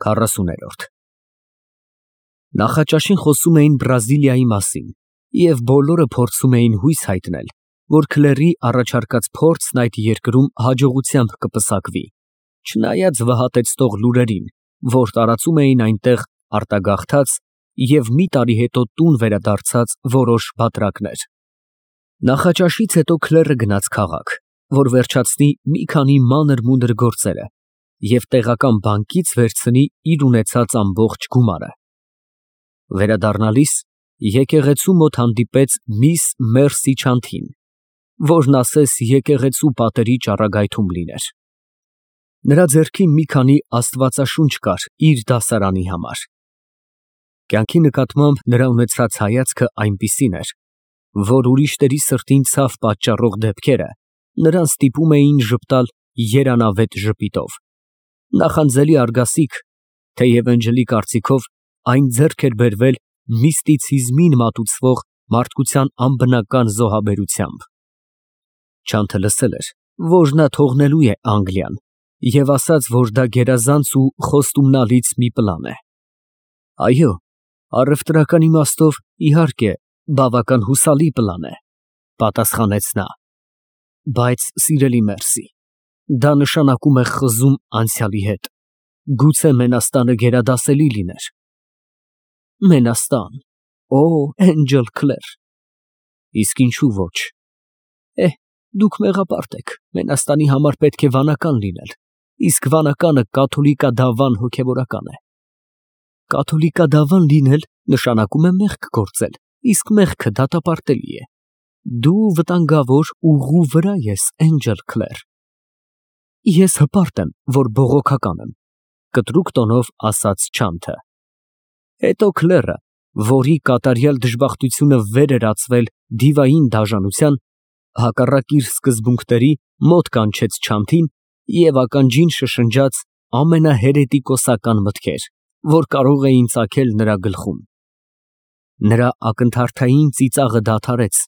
40-րդ Նախաճաշին խոսում էին Բրազիլիայի մասին և բոլորը փորձում էին հույս հայտնել, որ Քլերի առաջարկած փորձն այդ երկրում հաջողությամբ կպսակվի, չնայած վհատեցնող լուրերին, որ տարածում էին այնտեղ արտագաղթած և մի տարի հետո տուն վերադարձած որոշ բատրակներ։ Նախաճաշից հետո Քլերը գնաց քաղաք, որ վերջացնի մի քանի մանր-մունր գործերը և տեղական բանկից վերցնի իր ունեցած ամբողջ գումարը։ Վերադառնալիս եկեղեցու մոտ հանդիպեց միս Մերսի Չանթին, որն ասես եկեղեցու պատերի ճառագայթում լիներ։ Նրա ձեռքին մի քանի աստվածաշունչ կար իր դասարանի համար։ Կյանքի նկատմամբ նրա ունեցած հայացքը այնպիսին էր, որ ուրիշների սրտին ցավ պատճառող դեպքերը նրան ստիպում էին ժպտալ երանավետ ժպիտով։ Նախանձելի արգասիկ, թեև Էնջելի կարծիքով այն ձեռք էր բերվել միստիցիզմին մատուցվող մարդկության անբնական զոհաբերությամբ։ Չանթը լսել էր, որ նա թողնելու է Անգլիան և ասաց, որ դա գերազանց ու խոստումնալից մի պլան է։ Այո, առևտրական իմաստով, իհարկե, բավական հուսալի պլան է, պատասխանեց նա, բայց սիրելի Մերսի, դա նշանակում է խզում անցյալի հետ, գուցե մենաստանը գերադասելի լիներ։ Մենաստան, օ, Էնջել Քլեր, իսկ ինչու ոչ։ Դուք մեղապարտ եք, մենաստանի համար պետք է վանական լինել, իսկ վանականը կաթոլիկադավան հոգևորական է։ Կաթոլիկադավան լինել նշանակում է մեղք գործել, իսկ մեղքը դատապարտելի է։ Դու վտանգավոր ուղու վրա ես, Էնջել Քլեր։ Ես հպարտ եմ, որ բողոքական եմ, կտրուկ տոնով ասաց Չանթը։ Հետո Քլերը, որի կատարյալ դժբախտությունը վեր էր ածվել դիվային դաժանության, հակառակ իր սկզբունքների, մոտ կանչեց Չանթին և ականջին շշնջաց ամենահերետիկոսական մտքեր, որ կարող էին ծագել նրա գլխում։ Նրա ակնթարթային ծիծաղը դադարեց,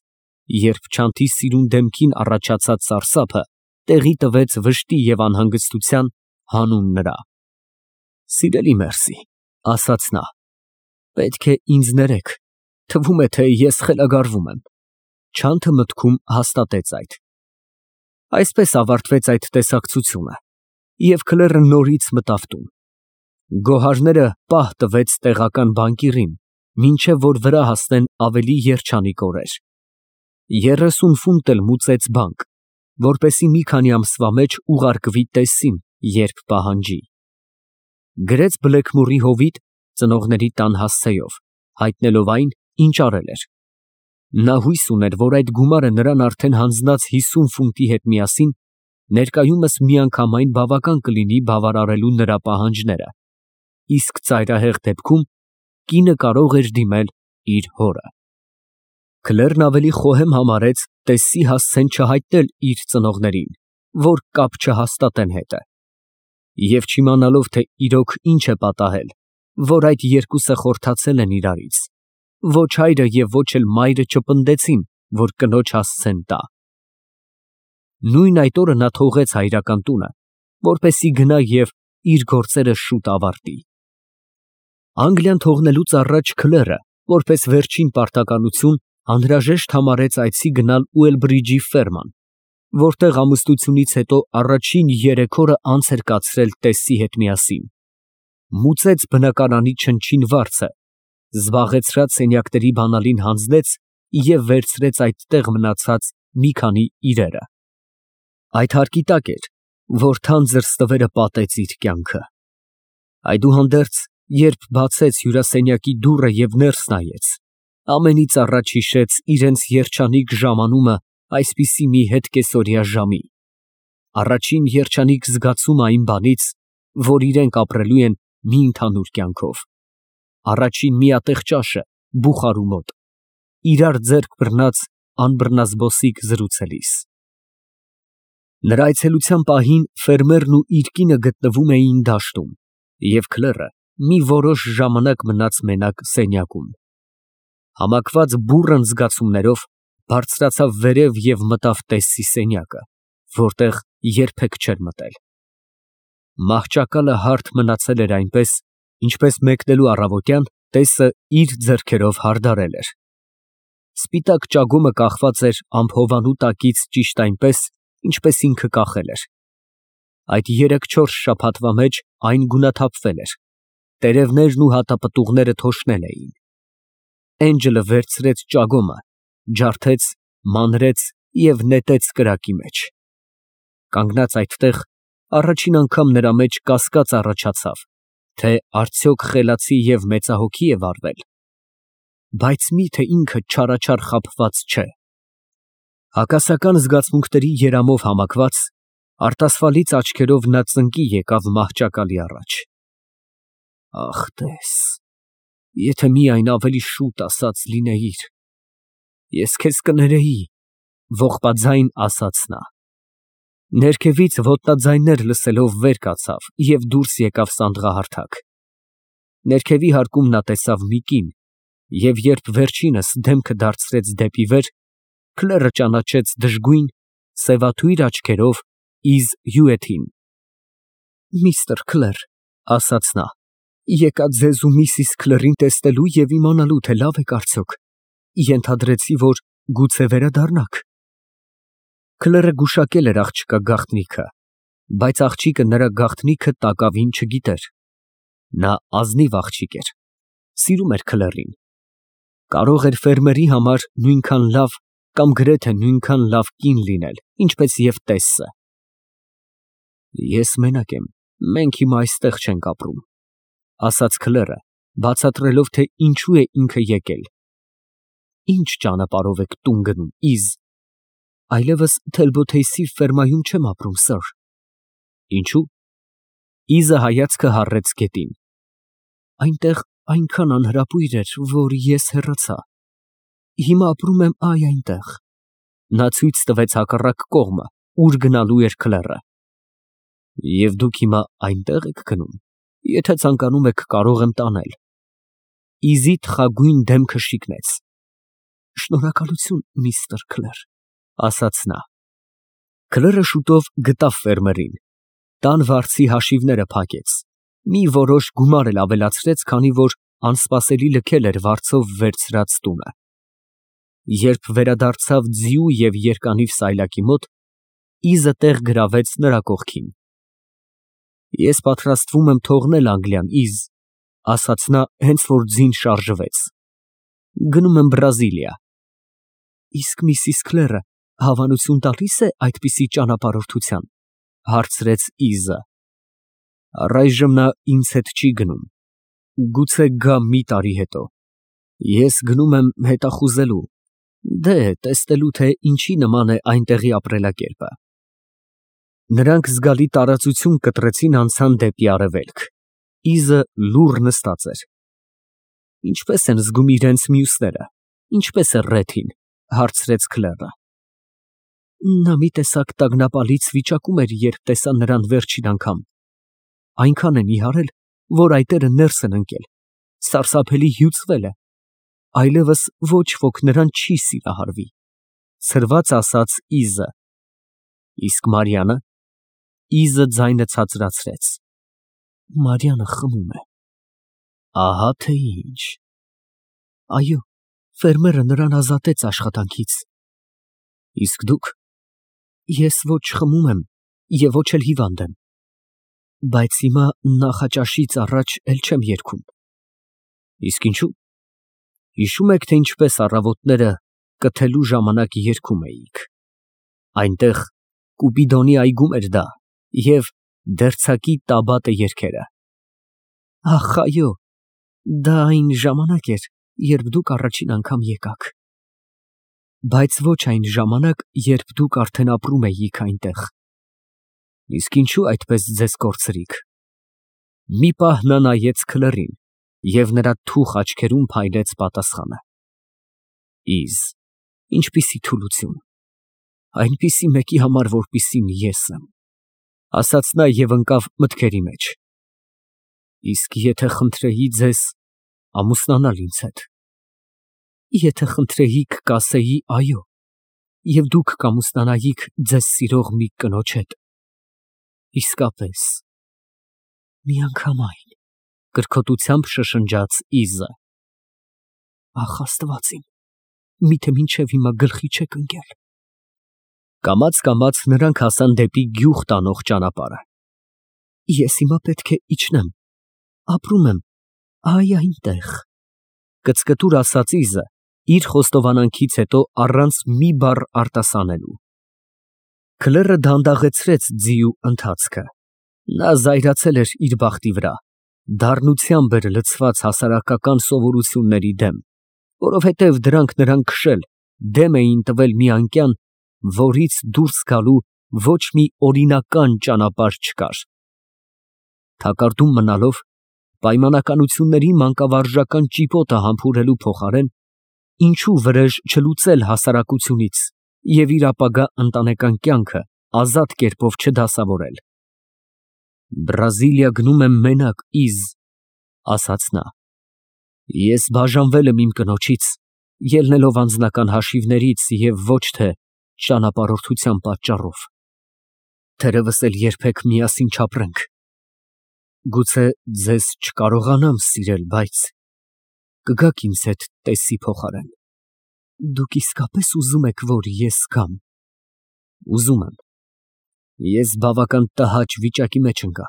երբ Չանթի սիրուն դեմքին առաջացած սարսափը տեղի տվեց վշտի և անհանգստության, հանուն նրա։ Սիրելի Մերսի, ասաց նա, պետք է ինձ ներեք, թվում է, թե ես խելագարվում եմ։ Չանթը մտքում հաստատեց այդ։ Այսպես ավարտվեց այդ տեսակցությունը, և Քլերը նորից մտավ տուն։ Գոհարները պահ տվեց տեղական բանկիրին, մինչև որ վրա հասնեն ավելի երջանիկ օրեր։ 30 ֆունտ էլ մուծեց բանկ, որպեսզի մի քանի ամսվա մեջ ուղարկվի տեսին, երբ պահանջի։ Գրեց բլեքմորի հովիտ ծնողների տան հասցեով, հայտնելով այն, ինչ արել էր։ Նա հույս ուներ, որ այդ գումարը նրան արդեն հանձնած 50 ֆունտի հետ միասին ներկայումս միանգամայն բավական կլինի բավարարելու նրա պահանջները, իսկ ծայրահեղ դեպքում կինը կարող էր դիմել իր հորը։ Քլերն ավելի խոհեմ համարեց տեսի հասցեն չհայտնել իր ծնողներին, որ կապ չհաստատեն հետը։ Եվ չիմանալով, թե իրոք ինչ է պատահել, որ այդ երկուսը խորթացել են իրարից, ոչ հայրը և ոչ էլ մայրը չպնդեցին, որ կնոջ հասցեն տա։ Նույն այդ օրը նա թողեց հայրական տունը, որպեսզի գնա և իր գործերը շուտ ավարտի։ Անգլիան թողնելուց առաջ Քլերը, որպես վերջին պարտականություն, անհրաժեշտ համարեց այցի գնալ Ուելբրիջի ֆերման, որտեղ ամուսնությունից հետո առաջին 3 օրը անց էր կացրել տեսի հետ միասին։ Մուծեց բնակարանի չնչին վարձը, զբաղեցրած սենյակների բանալին հանձնեց և վերցրեց այդտեղ մնացած մի քանի իրերը։ Այդ հարկի տակ էր, որ թանձր ստվերը պատեց իր կյանքը։ Այդուհանդերձ, երբ բացեց հյուրասենյակի դուռը և ներս նայեց, ամենից առաջ հիշեց իրենց երջանիկ ժամանումը այսպիսի մի հետկեսօրյա ժամի, առաջին երջանիկ զգացումը այն բանից, որ իրենք ապրելու են մի ընդհանուր կյանքով, առաջին միատեղ ճաշը բուխարու մոտ, իրար ձեռք բռնած անբռնազբոսիկ զրուցելիս։ Նրա այցելության պահին ֆերմերն ու իր կինը գտնվում էին դաշտում, և Քլերը մի որոշ ժամանակ մնաց մենակ սենյակում։ Համակված բուռն զգացումներով բարձրացավ վերև և մտավ տեսի սենյակը, որտեղ երբեք չէր մտել։ Մահճակալը հարթ մնացել էր այնպես, ինչպես մեկնելու առավոտյան տեսը իր ձեռքերով հարդարել էր։ Սպիտակ ճագումը կախված էր ամփովանու տակից ճիշտ այնպես, ինչպես ինքը կախել էր։ Այդ 3-4 շաբաթվա մեջ այն գունաթափվել էր, տերևներն ու հատապտուղները թոշնել էին։ Էնջլը վերցրեց ճագոմը, ջարդեց, մանրեց և նետեց կրակի մեջ։ Կանգնած այդտեղ, առաջին անգամ նրա մեջ կասկած առաջացավ, թե արդյոք խելացի և մեծահոգի է վարվել, բայց մի՞թե ինքը չարաչար խաբված չէ։ Հակասական զգացմունքների երամով համակված, արտասվալից աչքերով նա ծնկի եկավ մահճակալի առաջ։ Ախ, տես, եթե միայն ավելի շուտ ասած լինեիր, ես քեզ կներեի, ողբաձայն ասաց նա։ Ներքևից ոտնաձայններ լսելով վեր կացավ և դուրս եկավ սանդղահարթակ։ Ներքևի հարկում նա տեսավ մի կին, և երբ վերջինս դեմքը դարձրեց դեպի վեր, քլերը ճանաչեց դժգույն, սևաթույր աչքերով Իզ Հյուեթին։ Միստր Քլեր, ասաց նա, եկա ձեզ ու միսիս Քլերին տեսնելու և իմանալու, թե լավ եք արդյոք, ենթադրեցի, որ գուցե վերադառնաք։ Քլերը գուշակել էր աղջկա գաղտնիքը, բայց աղջիկը նրա գաղտնիքը տակավին չգիտեր։ Նա ազնիվ աղջիկ էր, սիրում էր Քլերին։ Կարող էր ֆերմերի համար նույնքան լավ կամ գրեթե նույնքան լավ կին լինել, ինչպես և տեսը։ Ես մենակ եմ, մենք հիմա այստեղ չենք ապրում, ասաց Քլերը, բացատրելով, թե ինչու է ինքը եկել։ Ինչ ճանապարհով եք տուն գնում, Իզ։ Այլևս Թելբոթեյսի ֆերմայում չեմ ապրում, սըր։ Ինչու՞։ Իզը հայացքը հառեց գետին։ Այնտեղ այնքան անհրապույր էր, որ ես հեռացա։ Հիմա ապրում եմ այնտեղ։ Նա ցույց տվեց հակառակ կողմը, ուր գնալու էր Քլերը։ Եվ դուք հիմա այնտեղ եք գնում։ Եթե ցանկանում եք, կարող եմ տանել։ Իզի թխագույն դեմքը շիկնեց։ Շնորհակալություն, միստր Քլեր, ասաց նա։ Քլերը շուտով գտավ ֆերմերին, տան վարձի հաշիվները փակեց, մի որոշ գումար էլ ավելացրեց, քանի որ անսպասելի լքել էր վարձով վերցրած տունը։ Երբ վերադարձավ ձիու և երկանիվ սայլակի մոտ, Իզը տեղ գրավեց նրա կողքին։ Ես պատրաստվում եմ թողնել Անգլիան, Իզ, ասաց նա, հենց որ ձին շարժվեց։ Գնում եմ Բրազիլիա։ Իսկ միսիս Քլերը հավանություն տալի՞ս է այդպիսի ճանապարհորդության, հարցրեց Իզը։ Առայժմ նա ինձ հետ չի գնում, գուցե գա մի տարի հետո։ Ես գնում եմ հետախուզելու, տեսնելու, թե ինչի նման է այնտեղի ապրելակերպը։ Նրանք զգալի տարածություն կտրեցին, անցան դեպի արևելք։ Իզը լուռ նստած էր։ Ինչպե՞ս են զգում իրենց մյուսները, ինչպես է Ռեթին, հարցրեց Քլերը։ Նա մի տեսակ տագնապալից վիճակում էր, երբ տեսա նրան վերջին անգամ։ Այնքան են իհարել, որ այտերը ներս են ընկել, սարսափելի հյուծվել է։ Այլևս ոչ ոք նրան չի սիրահարվի, ցրված ասաց Իզը։ Իսկ Մարիանը։ Իզը ձայնը ցածրացրեց։ Մարիանը խմում է։ Ահա թե ինչ։ Այո, ֆերմերը նրան ազատեց աշխատանքից։ Իսկ դուք։ Ես ոչ խմում եմ և ոչ էլ հիվանդ եմ, բայց հիմա նախաճաշից առաջ էլ չեմ երգում։ Իսկ ինչու։ Հիշո՞ւմ եք, թե ինչպես առավոտները կթելու ժամանակ երգում էիք։ Այնտեղ Կուպիդոնի այգում էր դա, և դերձակի Տաբատը երգերը։ Ախ, այո, դա այն ժամանակ էր, երբ դուք առաջին անգամ եկաք։ Բայց ոչ այն ժամանակ, երբ դուք արդեն ապրում էիք այնտեղ։ Իսկ ինչու այդպես ձեզ կորցրիք։ Մի պահ նա նայեց Քլերին, և նրա թուխ աչքերում փայլեց պատասխանը։ Իզ, ինչպիսի թուլություն։ Այնպիսի մեկի համար, որպիսին ես եմ, ասաց նա և ընկավ մտքերի մեջ։ Իսկ եթե խնդրեի ձեզ ամուսնանալ ինձ հետ։ Եթե խնդրեիք, կասեի այո, և դուք կամուսնանայիք ձեզ սիրող մի կնոջ հետ։ Իսկապես, Միանգամայն, կրկոտությամբ շշնջաց Իզը։ Ախ Աստված իմ, միթե մինչև հիմա գլխի չեք ընկել։ Կամաց նրանք հասան դեպի գյուղ տանող ճանապարհը։ Ես հիմա պետք է իջնեմ, ապրում եմ, այ այնտեղ, կծկտուր ասաց Իզը, իր խոստովանանքից հետո առանց մի բառ արտասանելու։ Քլերը դանդաղեցրեց ձիու ընթացքը։ Նա զայրացել էր իր բախտի վրա, դառնությամբ էր լցված հասարակական սովորությունների դեմ, որովհետև դրանք նրան քշել, դեմ էին տվել մի անկյան, որից դուրս գալու ոչ մի օրինական ճանապարհ չկար։ Թակարդում մնալով, պայմանականությունների մանկավարժական ճիպոտը համբուրելու փոխարեն, ինչու վրեժ չլուծել հասարակությունից և իր ապագա ընտանեկան կյանքը ազատ կերպով չդասավորել։ Բրազիլիա գնում եմ մենակ, Իզ, ասաց նա։ Ես բաժանվել եմ իմ կնոջից, ելնելով անձնական հաշիվներից և ոչ թե ճանապարհորդության պատճառով։ Թերևս էլ երբեք միասին չապրենք։ Գուցե ձեզ չկարողանամ սիրել, բայց կգաք ինձ հետ տեսի փոխարեն։ Դուք իսկապես ուզում եք, որ ես գամ։ Ուզում եմ։ Ես բավական տհաճ վիճակի մեջ ընկա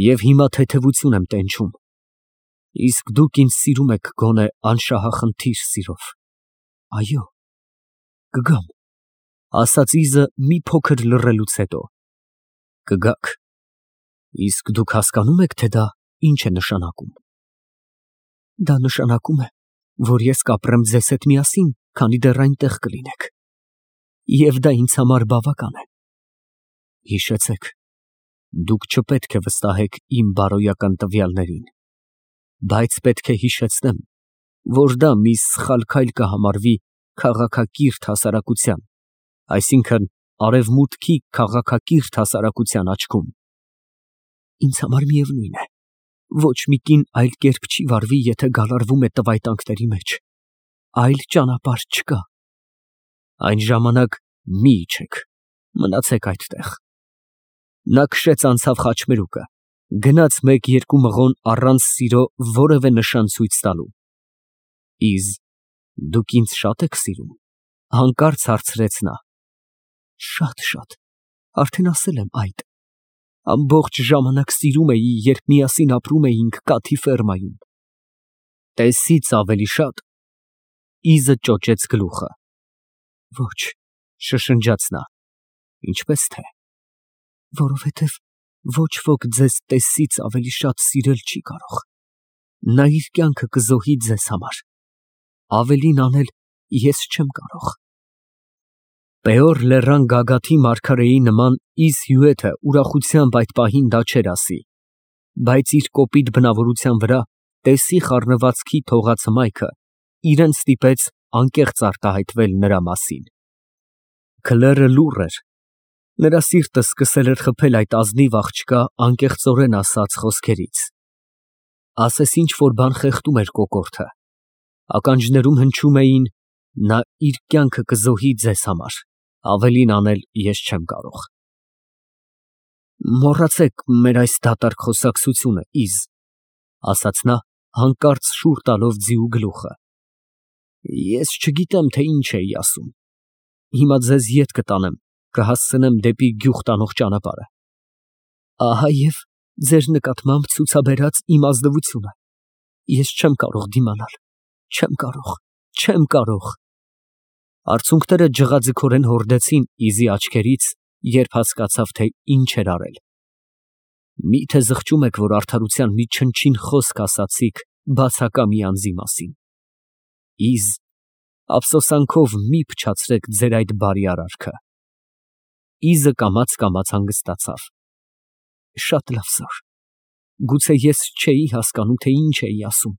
և հիմա թեթևություն եմ տենչում, իսկ դուք ինձ սիրում եք գոնե անշահախնդիր սիրով։ Այո, կգամ, ասաց Իզը մի փոքր լռելուց հետո։ Կգաք, իսկ դուք հասկանում եք, թե դա ինչ է նշանակում։ Դա նշանակում է, որ ես կապրեմ ձեզ հետ միասին, քանի դեռ այնտեղ կլինեք։ Եվ դա ինձ համար բավական է։ Հիշեցեք, դուք չպետք է վստահեք իմ բարոյական տվյալներին, բայց պետք է հիշեցնեմ, որ դա մի սխալ քայլ կհամարվի քաղաքակիրթ հասարակության, այսինքն արևմուտքի քաղաքակիրթ հասարակության աչքում։ Ինձ համար միևնույն է, ոչ մի կին այլ կերպ չի վարվի, եթե գալարվում է տվայտանքների մեջ, այլ ճանապարհ չկա։ Այն ժամանակ մի իջեք, մնացեք այդտեղ։ Նա քշեց անցավ խաչմերուկը, գնաց մեկ-երկու մղոն առանց սիրո որևէ նշան ցույց տալու։ Իզ, դուք ինձ շատ եք սիրում, հանկարծ հարցրեց նա։ Շատ, արդեն ասել եմ այդ։ Ամբողջ ժամանակ սիրում էի, երբ միասին ապրում էինք կաթի ֆերմայում։ Տեսից ավելի շատ։ Իզը ճոճեց գլուխը։ Ոչ, շշնջաց նա։ Ինչպես թե։ Որովհետև ոչ ոք ձեզ տեսից ավելի շատ սիրել չի կարող։ Նա իր կյանքը կզոհի ձեզ համար։ Ավելին անել ես չեմ կարող։ Պեոր լեռան գագաթի մարգարեի նման Իզ հյուրերը ուրախությամբ այդ պահին դա չէր ասի, բայց իր կոպիտ բնավորության վրա տեսի խառնվածքի թողած հմայքը իրեն ստիպեց անկեղծ արտահայտվել նրա մասին։ Քլերը լուռ էր։ Նրա սիրտը սկսել էր խփել այդ ազնիվ աղջկա անկեղծորեն ասած խոսքերից։ Ասես ինչ-որ բան խեղդում էր կոկորդը։ Ականջներում հնչում էին. նա իր կյանքը կզոհի ձեզ համար, ավելին անել ես չեմ կարող։ Մոռացեք մեր այս դատարկ խոսակցությունը, Իզ, ասաց նա, հանկարծ շուռ տալով ձիու գլուխը։ Ես չգիտեմ, թե ինչ էի ասում։ Հիմա ձեզ ետ կտանեմ, կհասցնեմ դեպի գյուղ տանող ճանապարհը։ Ահա և ձեր նկատմամբ ցուցաբերած իմ ազնվությունը։ Ես չեմ կարող դիմանալ, չեմ կարող։ Արցունքները ջղաձգորեն հորդեցին Իզի աչքերից, երբ հասկացավ, թե ինչ էր արել։ Միթե զղջում եք, որ արդարության մի չնչին խոսք ասացիք բացակա մի անձի մասին։ Իզ, ափսոսանքով մի փչացրեք ձեր այդ բարի արարքը։ Իզը կամաց հանգստացավ։ Շատ լավ, զոր։ Գուցե ես չէի հասկանում, թե ինչ էի ասում,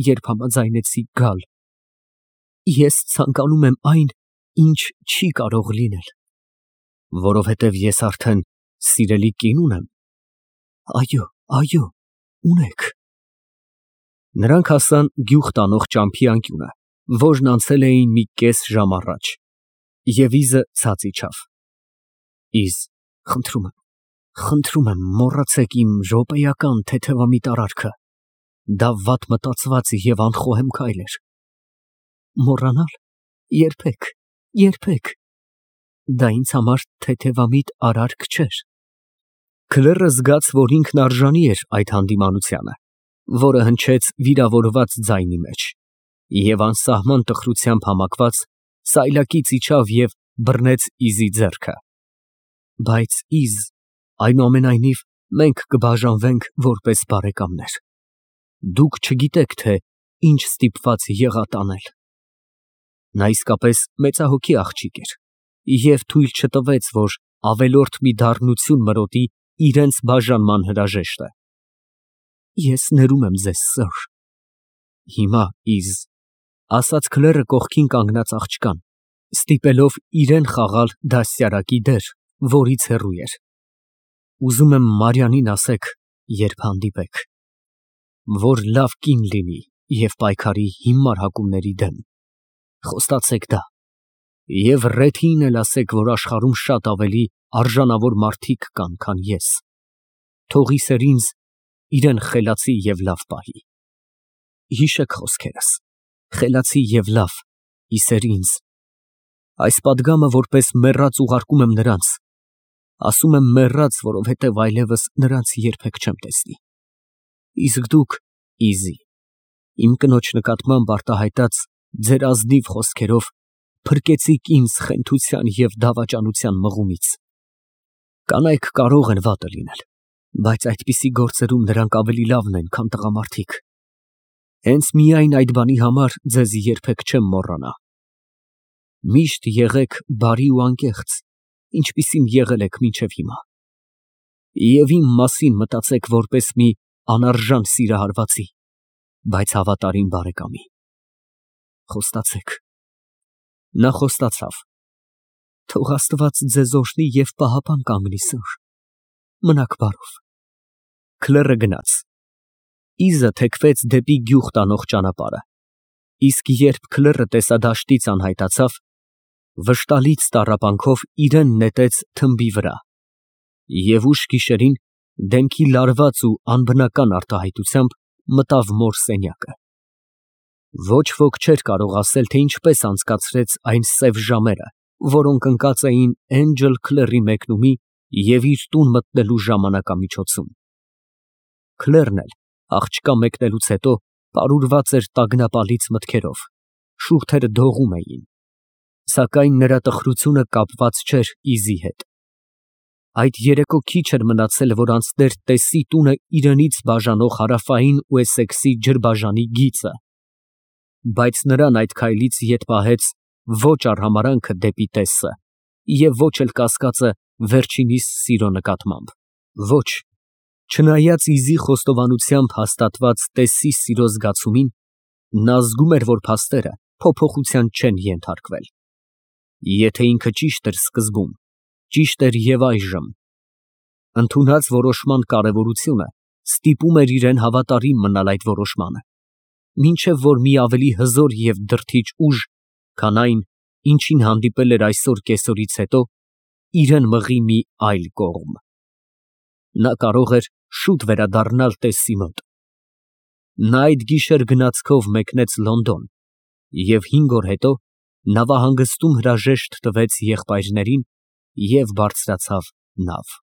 երբ համաձայնեցի գալ։ Ես ցանկանում եմ այն, ինչ չի կարող լինել։ Որովհետև ես արդեն սիրելի կին ունեմ։ Այո, ունեք։ Նրանք հասան գյուղ տանող ճամփի անկյունը, որն անցել էին մի կես ժամ առաջ, և Իզը ցած իջավ։ Իզ, Խնդրում եմ, մոռացեք իմ րոպեական թեթևամիտ արարքը։ Դա վատ մտածված և անխոհեմ քայլ էր։ Մոռանալ։ Երբեք, երբեք։ Դա ինձ համար թեթևամիտ արարք չէր։ Քլերը զգաց, որ ինքն արժանի էր այդ հանդիմանությանը, որը հնչեց վիրավորված ձայնի մեջ, և անսահման տխրությամբ համակված սայլակից իջավ և բռնեց Իզի ձեռքը։ Բայց Իզ, այնուամենայնիվ, մենք կբաժանվենք որպես բարեկամներ։ Դուք չգիտեք, թե ինչ ստիպված եղա տանել։ Նա իսկապես մեծահոգի աղջիկ էր և թույլ չտվեց, որ ավելորդ մի դառնություն մրոտի իրենց բաժանման հրաժեշտը։ Ես ներում եմ ձեզ, սըր։ Հիմա, Իզ, ասաց Քլերը կողքին կանգնած աղջկան, ստիպելով իրեն խաղալ դաստիարակի դեր, որից հեռու էր։ Ուզում եմ Մարիանին ասեք, երբ հանդիպեք, որ լավ կին լինի և պայքարի հիմար հակումների դեմ։ Խոստացեք դա։ Եվ Ռեթիին էլ ասեք, որ աշխարհում շատ ավելի արժանավոր մարդիկ կան, քան ես։ Թող Իսեր ինձ իրեն խելացի և լավ պահի։ Հիշեք խոսքերս, խելացի և լավ, Իսեր ինձ։ Այս պատգամը որպես մեռած ուղարկում եմ նրանց։ Ասում եմ մեռած, որովհետև այլևս նրանց երբեք չեմ տեսնի։ Իսկ դուք, Իզի, իմ կնոջ նկատմամբ արտահայտած ձեր ազնիվ խոսքերով փրկեցիք ինձ խենթության և դավաճանության մղումից։ Կանայք կարող են վատը լինել, բայց այդպիսի գործերում նրանք ավելի լավն են, քան տղամարդիկ։ Հենց միայն այդ բանի համար ձեզ երբեք չեմ մոռանա։ Միշտ եղեք բարի ու անկեղծ, ինչպիսին եղել եք մինչև հիմա։ Եվ իմ մասին մտածեք որպես մի անարժան սիրահարվածի, բայց հավատարիմ բարեկամի։ Խոստացեք։ Նա խոստացավ։ Թող Աստված ձեզ օրհնի և պահապան կանգնի, սըր։ Մնաք բարով։ Քլերը գնաց։ Իզը թեքվեց դեպի գյուղ տանող ճանապարհը, իսկ երբ Քլերը տեսադաշտից անհայտացավ, վշտալից տառապանքով իրեն նետեց թմբի վրա և ուշ գիշերին, դեմքի լարված ու անբնական արտահայտությամբ, մտավ մոր սենյակը։ Ոչ ոք չէր կարող ասել, թե ինչպես անցկացրեց այն սև ժամերը, որոնք ընկած էին Էնջլ Քլերի մեկնումի և իր տուն մտնելու ժամանակամիջոցում։ Քլերն էլ աղջկա մեկնելուց հետո պարուրված էր տագնապալից մտքերով, շուրթերը դողում էին, սակայն նրա տխրությունը կապված չէր Իզի հետ։ Այդ երեկո քիչ էր մնացել, որ անցներ Տեսսի տունը իրենից բաժանող հարավային Ուեսեքսի ջրբաժանի գիծը, բայց նրան այդ քայլից ետ պահեց ոչ արհամարհանքը դեպի Տեսսը և ոչ էլ կասկածը վերջինիս սիրո նկատմամբ։ Ոչ, չնայած Իզի խոստովանությամբ հաստատված Տեսսի սիրո զգացումին, նա զգում էր, որ փաստերը փոփոխության չեն ենթարկվել։ Եթե ինքը ճիշտ էր սկզբում, ճիշտ էր և այժմ։ Ընդունած որոշման կարևորությունը ստիպում էր իրեն հավատարիմ մնալ այդ որոշմանը, մինչև որ մի ավելի հզոր և դրդիչ ուժ, քան այն, ինչին հանդիպել էր այսօր կեսօրից հետո, իրան մղի մի այլ կողմ։ Նա կարող էր շուտ վերադառնալ Տեսսի մոտ։ Նա այդ գիշեր գնացքով մեկնեց Լոնդոն և 5 օր հետո նավահանգստում հրաժեշտ տվեց եղբայրներին և բարձրացավ նավ։